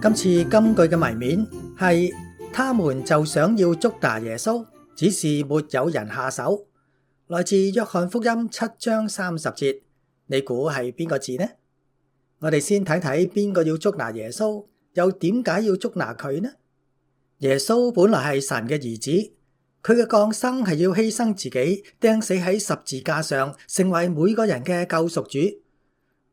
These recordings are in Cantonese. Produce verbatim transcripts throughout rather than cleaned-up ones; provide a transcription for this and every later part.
今次金句嘅謎面係他們就想要捉拿耶穌，只是沒有人下手。來自約翰福音七章三十節，你估係邊個字呢？我哋先睇睇邊個要捉拿耶穌，又點解要捉拿佢呢？耶穌本來係神嘅兒子，佢嘅降生係要犧牲自己，釘死喺十字架上，成為每個人嘅救贖主。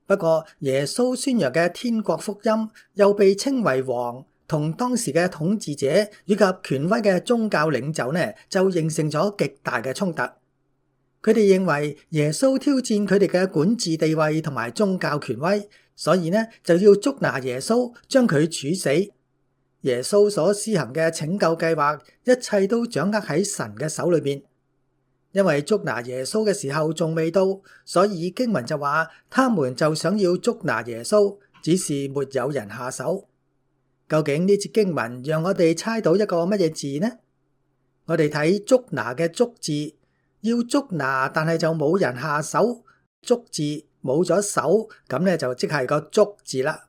不過耶穌宣揚嘅天國福音又被稱為王，同當時嘅統治者以及權威嘅宗教領袖呢，就形成咗極大嘅衝突。佢哋認為耶穌挑戰佢哋嘅管治地位同埋宗教權威，所以呢就要捉拿耶穌，將佢處死。耶穌所施行嘅拯救計劃，一切都掌握喺神嘅手裏邊。因為捉拿耶穌嘅時候仲未到，所以經文就話，他們就想要捉拿耶穌，只是沒有人下手。究竟呢節經文讓我哋猜到一個乜嘢字呢？我哋睇捉拿嘅捉字，要捉拿但係就冇人下手，捉字冇咗手，咁咧就即係個足字啦。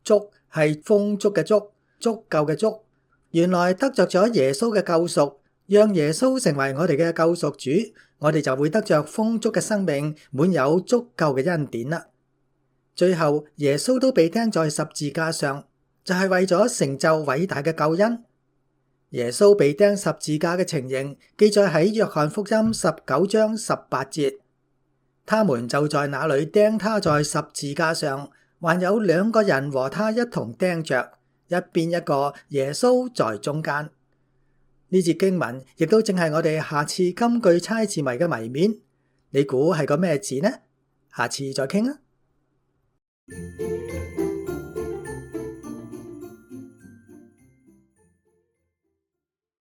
足係豐足嘅足，足夠嘅足。原來得着咗耶穌嘅救贖，讓耶穌成為我哋嘅救贖主，我哋就會得着豐足嘅生命，滿有足夠嘅恩典啦。最後耶穌都被釘在十字架上，就係為咗成就偉大嘅救恩。耶穌被釘十字架嘅情形記載喺約翰福音十九章十八節，他們就在那裏釘他在十字架上，還有兩個人和他一同釘着，一邊一個，耶穌在中間。呢節經文亦都正係我哋下次金句猜字謎嘅謎面，你估係個咩字呢？下次再傾啊！